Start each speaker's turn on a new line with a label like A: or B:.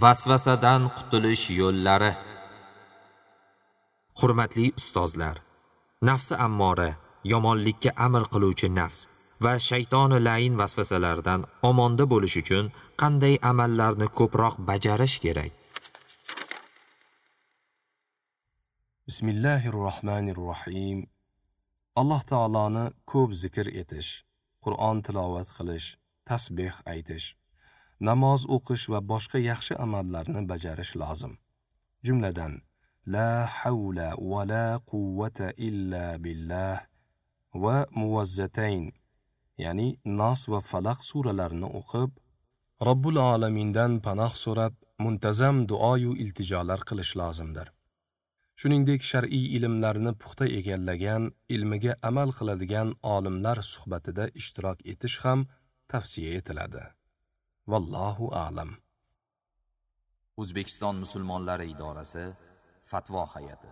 A: Vasvasadan qutulish yo'llari. Hurmatli ustozlar, nafsi ammora, yomonlikka amr qiluvchi nafs va shaytoni lain vasvasalaridan omonda bo'lish uchun qanday amallarni ko'proq bajarish kerak?
B: Bismillahirrohmanirrohim. Alloh taoloni ko'p zikr etish, Qur'on tilovat qilish, tasbih aytish, namoz o'qish va boshqa yaxshi amallarni bajarish lozim. Jumladan, la havla va la quvvata illa billah va muvazzatayn, ya'ni Nas va Falaq suralarini o'qib, Robbul alamindan panoh so'rab, muntazam duoyu iltijolar qilish lozimdir. Shuningdek, shar'iy ilmlarni puxta egallagan, ilmiga amal qiladigan olimlar suhbatida ishtirok etish ham tavsiya etiladi. Vallohu a'lam.
A: O'zbekiston musulmonlari idorasi Fatvo hay'ati.